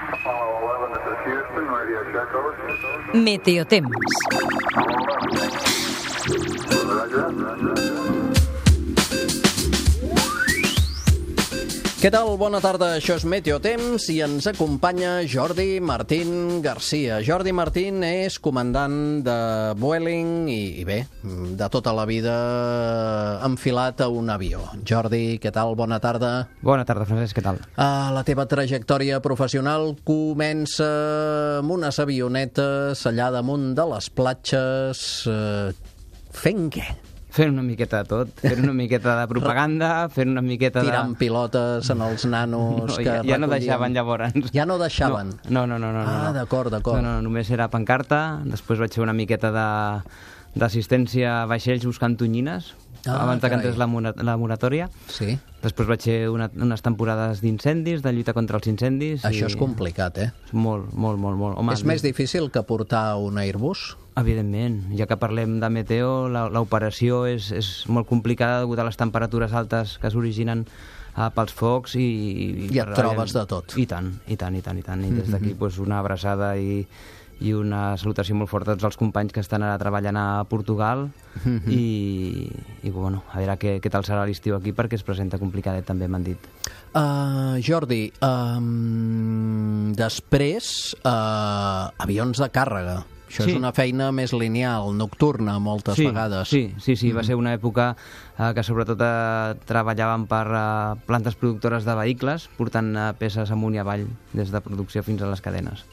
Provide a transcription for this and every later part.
11, this is Houston, radio check over. Meteotemps. Què tal? Bona tarda, això és Meteotemps i ens acompanya Jordi Martín Garcia. Jordi Martín és comandant de Vueling i bé, de tota la vida enfilat a un avió. Jordi, què tal? Bona tarda. Bona tarda, Francesc, què tal? La teva trajectòria professional comença amb unes avionetes allà damunt de les platges. Fent què? Fent una miqueta de tot, fent una miqueta de propaganda, fent una miqueta de... Tirant pilotes en els nanos que ja no deixaven llavors. Ja no deixaven? No. D'acord. No, només era pancarta, després vaig fer una miqueta d'assistència a vaixells buscant tonyines, abans que entrés la moratòria. Sí. Després vaig fer unes temporades d'incendis, de lluita contra els incendis. Això és complicat, eh? Molt. Home, és més difícil que portar un Airbus? Evidentment, ja que parlem de meteo, l'operació és molt complicada degut a les temperatures altes que s'originen pels focs i et trobes de tot. I tant. I des d'aquí una abraçada i una salutació molt forta a tots els companys que estan ara treballant a Portugal i bueno, a veure què tal serà l'estiu aquí perquè es presenta complicadet també, m'han dit. Jordi, després avions de càrrega. Això és una feina més lineal, nocturna, moltes vegades. Sí, va ser una època que sobretot treballàvem per plantes productores de vehicles, portant peces amunt i avall, des de producció fins a les cadenes.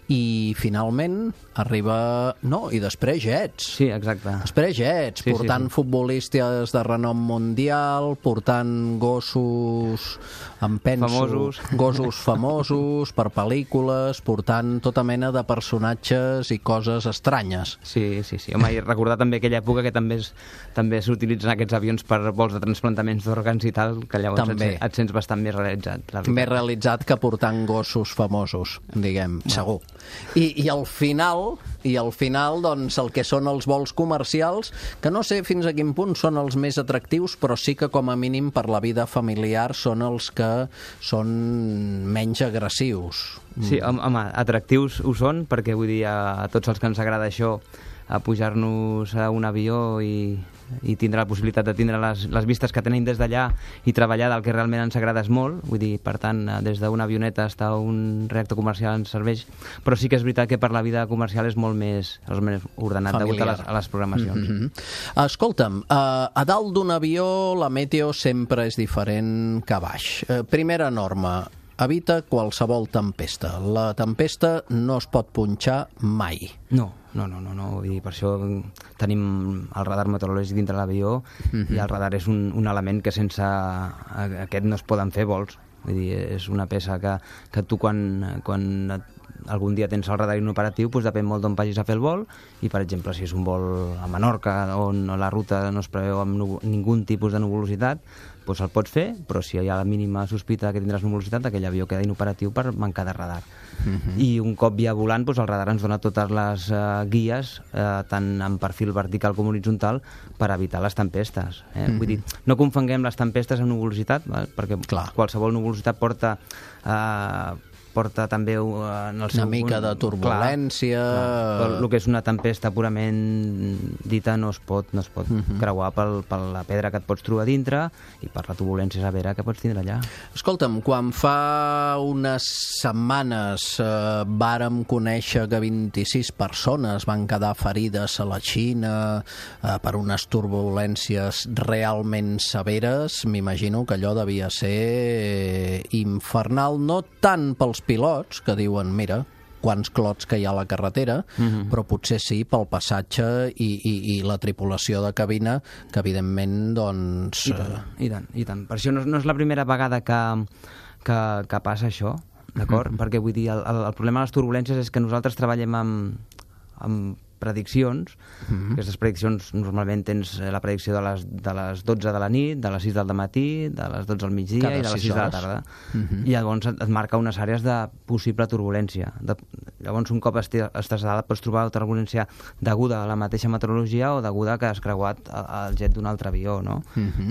I finalment arriba... No, i després jets. Sí, exacte. Després jets, portant futbolistes de renom mundial, portant gossos, em penso... Gossos famosos per pel·lícules, portant tota mena de personatges i coses estranyes. Sí. Home, i recordar també aquella època que també s'utilitzen aquests avions per vols de transplantaments d'òrgans i tal, que llavors et sents bastant més realitzat. Més realitzat que portant gossos famosos, diguem, segur. I al final, doncs, el que són els vols comercials, que no sé fins a quin punt són els més atractius, però sí que com a mínim per la vida familiar són els que són menys agressius. Sí, home, atractius ho són, perquè vull dir, a tots els que ens agrada això, a pujar-nos a un avió i tindre la possibilitat de tindre les vistes que tenim des d'allà i treballar del que realment ens agrada és molt, vull dir, per tant, des d'una avioneta fins a un reactor comercial ens serveix, però sí que és veritat que per la vida comercial és molt més ordenat degut a les programacions. Escolta'm, a dalt d'un avió la meteo sempre és diferent que a baix. Primera norma, evita qualsevol tempesta. La tempesta no es pot punxar mai. No. Vull dir, per això tenim el radar meteorològic dintre l'avió i el radar és un element que sense aquest no es poden fer vols. Vull dir, és una peça que tu quan algun dia tens el radar inoperatiu, doncs depèn molt d'on vagis a fer el vol i, per exemple, si és un vol a Menorca on la ruta no es preveu amb ningun tipus de nuvolositat, doncs el pots fer, però si hi ha la mínima sospita que tindràs nuvolositat, aquell avió queda inoperatiu per mancar de radar. I un cop ja volant, doncs el radar ens dona totes les guies, tant en perfil vertical com horitzontal, per evitar les tempestes. Vull dir, no confonguem les tempestes amb nuvolositat, perquè qualsevol nuvolositat porta també en el seu... Una mica de turbulència... El que és una tempesta purament dita no es pot creuar per la pedra que et pots trobar dintre i per la turbulència severa que pots tindre allà. Escolta'm, quan fa unes setmanes vàrem conèixer que 26 persones van quedar ferides a la Xina per unes turbulències realment severes, m'imagino que allò devia ser infernal, no tant pels pilots, que diuen, mira, quants clots que hi ha a la carretera, però potser sí pel passatge i la tripulació de cabina, que evidentment, doncs... I tant. Per això no és la primera vegada que passa això, d'acord? Perquè vull dir, el problema de les turbulències és que nosaltres treballem amb prediccions. Aquestes prediccions normalment tens la predicció de les 12 de la nit, de les 6 del matí, de les 12 al migdia i de les 6 de la tarda. I llavors et marca unes àrees de possible turbulència. Llavors, un cop estàs dalt, pots trobar turbulència deguda a la mateixa meteorologia o deguda que has creuat el jet d'un altre avió, no?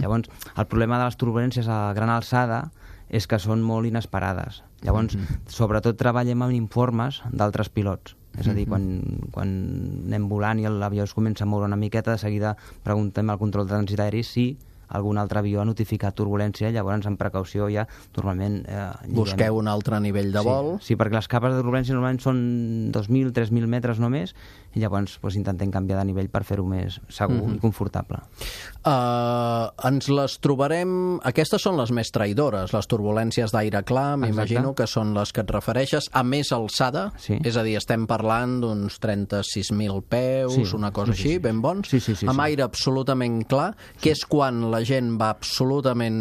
Llavors, el problema de les turbulències a gran alçada és que són molt inesperades. Llavors, sobretot treballem amb informes d'altres pilots. És a dir, quan anem volant i l'avió es comença a moure una miqueta, de seguida preguntem al control de trànsit aeri si algun altre avió ha notificat turbulència, llavors amb precaució ja normalment... Busqueu un altre nivell de vol. Sí, perquè les capes de turbulència normalment són 2.000, 3.000 metres només, i llavors intentem canviar de nivell per fer-ho més segur i confortable. Ens les trobarem... Aquestes són les més traïdores, les turbulències d'aire clar, m'imagino que són les que et refereixes, a més alçada, és a dir, estem parlant d'uns 36.000 peus, una cosa així, ben bons, amb aire absolutament clar, que és quan la gent va absolutament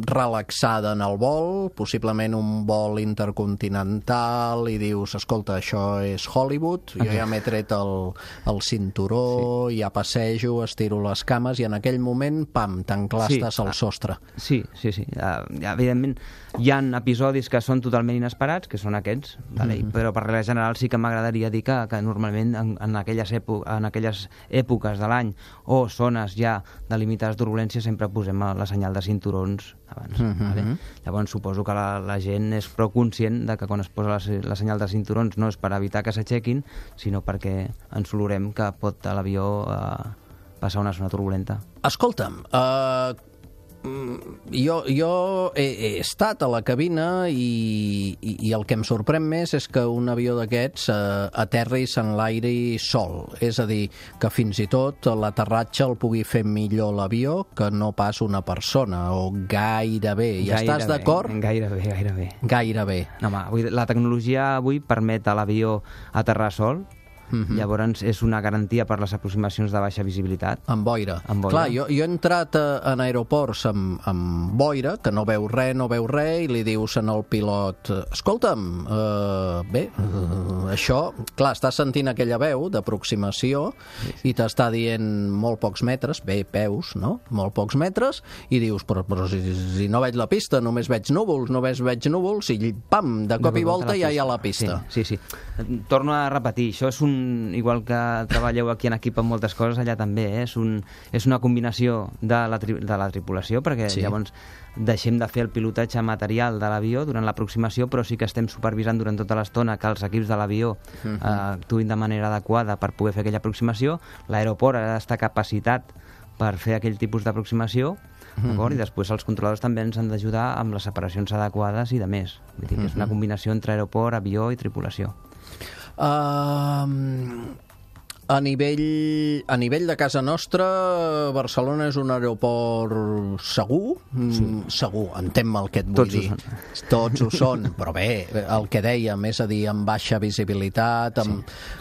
relaxada en el vol, possiblement un vol intercontinental, i dius, escolta, això és Hollywood, jo ja m'he tret el cinturó, ja passejo, estiro les cames, i en aquell moment, pam, t'enclastes al sostre. Sí. Evidentment, hi ha episodis que són totalment inesperats, que són aquests, però per regla general sí que m'agradaria dir que normalment en aquelles èpoques de l'any o zones ja delimitades turbulències sempre posem la senyal de cinturons abans. Llavors suposo que la gent és prou conscient de que quan es posa la senyal de cinturons no és per evitar que s'aixequin, sinó perquè ens olorem que pot a l'avió passar una zona turbulenta. Escolta'm, jo he estat a la cabina i el que em sorprèn més és que un avió d'aquests aterri i s'enlairi sol. És a dir, que fins i tot l'aterratge el pugui fer millor l'avió que no pas una persona, o gairebé. I estàs d'acord? Gairebé. No, home, la tecnologia avui permet a l'avió aterrar sol. Llavors és una garantia per les aproximacions de baixa visibilitat. Amb boira. Clar, jo he entrat en aeroports amb boira, que no veu res, i li dius al pilot, escolta'm, això, clar, estàs sentint aquella veu d'aproximació i t'està dient molt pocs metres, peus, no? Molt pocs metres, i dius, però si no veig la pista, només veig núvols, i pam, de cop i volta ja hi ha la pista. Sí. Torno a repetir, això és igual que treballeu aquí en equip amb moltes coses, allà també és una combinació de la tripulació, perquè llavors deixem de fer el pilotatge material de l'avió durant l'aproximació, però sí que estem supervisant durant tota l'estona que els equips de l'avió actuïn de manera adequada per poder fer aquella aproximació. L'aeroport ha d'estar capacitat per fer aquell tipus d'aproximació, i després els controladors també ens han d'ajudar amb les separacions adequades i de més. Vull dir que és una combinació entre aeroport, avió i tripulació. A nivell de casa nostra, Barcelona és un aeroport segur? Segur, entén-me el que et vull dir. Tots ho són, però bé, el que dèiem, és a dir, amb baixa visibilitat,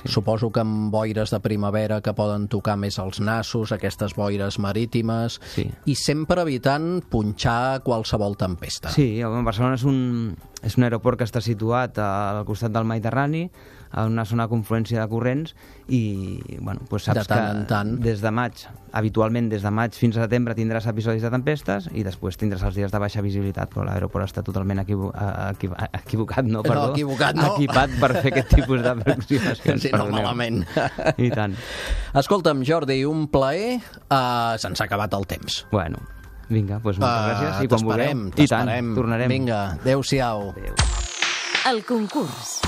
suposo que amb boires de primavera que poden tocar més els nassos, aquestes boires marítimes, i sempre evitant punxar qualsevol tempesta. Sí, Barcelona és un aeroport que està situat al costat del Mediterrani, en una zona de confluència de corrents, i saps que des de maig, habitualment des de maig fins a setembre tindràs episodis de tempestes i després tindràs els dies de baixa visibilitat, però l'aeroport està totalment equipat per fer aquest tipus d'aproximacions. Sí, no malament. I tant. Escolta'm, Jordi, un plaer. Se'ns ha acabat el temps. Bueno, vinga, doncs moltes gràcies. I quan vulgueu. T'esperem. Tornarem. Vinga, adéu-siau. El concurs.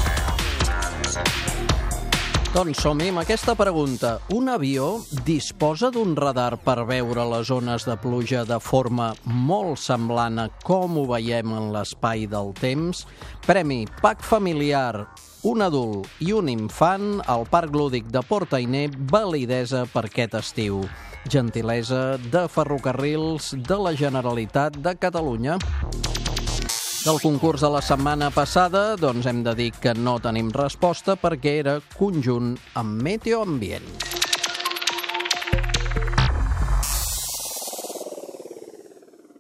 Doncs som-hi amb aquesta pregunta. Un avió disposa d'un radar per veure les zones de pluja de forma molt semblant a com ho veiem en l'espai del temps? Premi Pack Familiar, un adult i un infant al Parc Lúdic de Port Ainé, validesa per aquest estiu. Gentilesa de Ferrocarrils de la Generalitat de Catalunya. Del concurs de la setmana passada, doncs hem de dir que no tenim resposta perquè era conjunt amb Meteo Ambient.